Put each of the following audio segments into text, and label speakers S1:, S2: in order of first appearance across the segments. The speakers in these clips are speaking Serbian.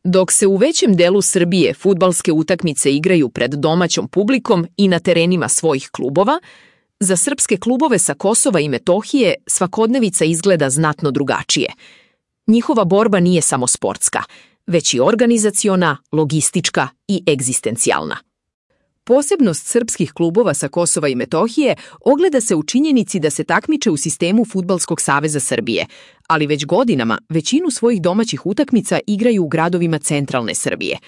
S1: Dok se u većem delu Srbije fudbalske utakmice igraju pred domaćom publikom i na terenima svojih klubova, za srpske klubove sa Kosova i Metohije svakodnevica izgleda znatno drugačije. Njihova borba nije samo sportska, već i organizaciona, logistička i egzistencijalna. Posebnost srpskih klubova sa Kosova i Metohije ogleda se u činjenici da se takmiče u sistemu Fudbalskog saveza Srbije, ali već godinama većinu svojih domaćih utakmica igraju u gradovima centralne Srbije.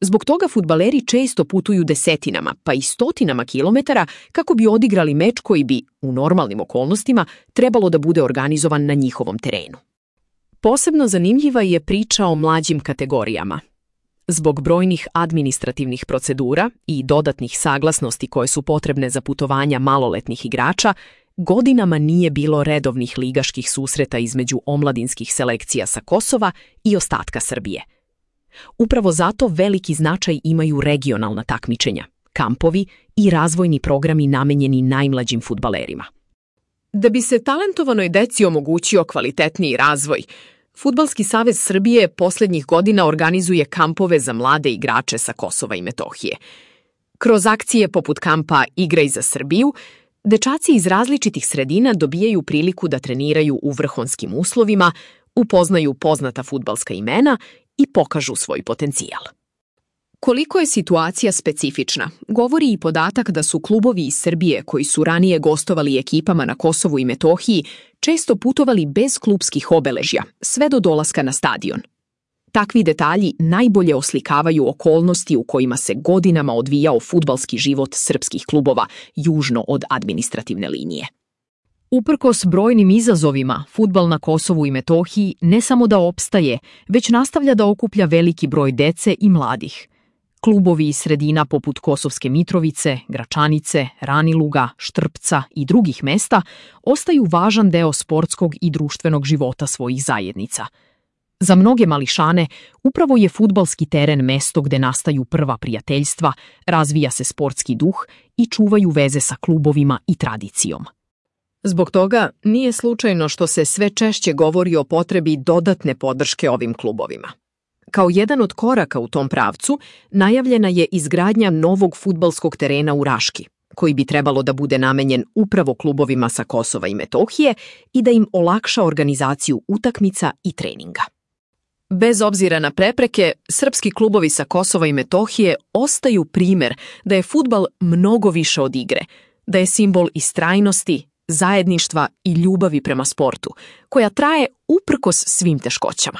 S1: Zbog toga fudbaleri često putuju desetinama, pa i stotinama kilometara kako bi odigrali meč koji bi, u normalnim okolnostima, trebalo da bude organizovan na njihovom terenu. Posebno zanimljiva je priča o mlađim kategorijama. Zbog brojnih administrativnih procedura i dodatnih saglasnosti koje su potrebne za putovanja maloletnih igrača, godinama nije bilo redovnih ligaških susreta između omladinskih selekcija sa Kosova i ostatka Srbije. Upravo zato veliki značaj imaju regionalna takmičenja, kampovi i razvojni programi namenjeni najmlađim fudbalerima. Da bi se talentovanoj deci omogućio kvalitetniji razvoj, Fudbalski savez Srbije posljednjih godina organizuje kampove za mlade igrače sa Kosova i Metohije. Kroz akcije poput kampa Igraj za Srbiju, dečaci iz različitih sredina dobijaju priliku da treniraju u vrhunskim uslovima, upoznaju poznata fudbalska imena i pokažu svoj potencijal. Koliko je situacija specifična, govori i podatak da su klubovi iz Srbije koji su ranije gostovali ekipama na Kosovu i Metohiji često putovali bez klupskih obeležja, sve do dolaska na stadion. Takvi detalji najbolje oslikavaju okolnosti u kojima se godinama odvijao fudbalski život srpskih klubova južno od administrativne linije. Uprkos brojnim izazovima, fudbal na Kosovu i Metohiji ne samo da opstaje, već nastavlja da okuplja veliki broj dece i mladih. Klubovi iz sredina poput Kosovske Mitrovice, Gračanice, Raniluga, Štrpca i drugih mesta ostaju važan deo sportskog i društvenog života svojih zajednica. Za mnoge mališane upravo je fudbalski teren mesto gde nastaju prva prijateljstva, razvija se sportski duh i čuvaju veze sa klubovima i tradicijom. Zbog toga nije slučajno što se sve češće govori o potrebi dodatne podrške ovim klubovima. Kao jedan od koraka u tom pravcu najavljena je izgradnja novog fudbalskog terena u Raški, koji bi trebalo da bude namenjen upravo klubovima sa Kosova i Metohije i da im olakša organizaciju utakmica i treninga. Bez obzira na prepreke, srpski klubovi sa Kosova i Metohije ostaju primer da je fudbal mnogo više od igre, da je simbol istrajnosti, zajedništva i ljubavi prema sportu, koja traje uprkos svim teškoćama.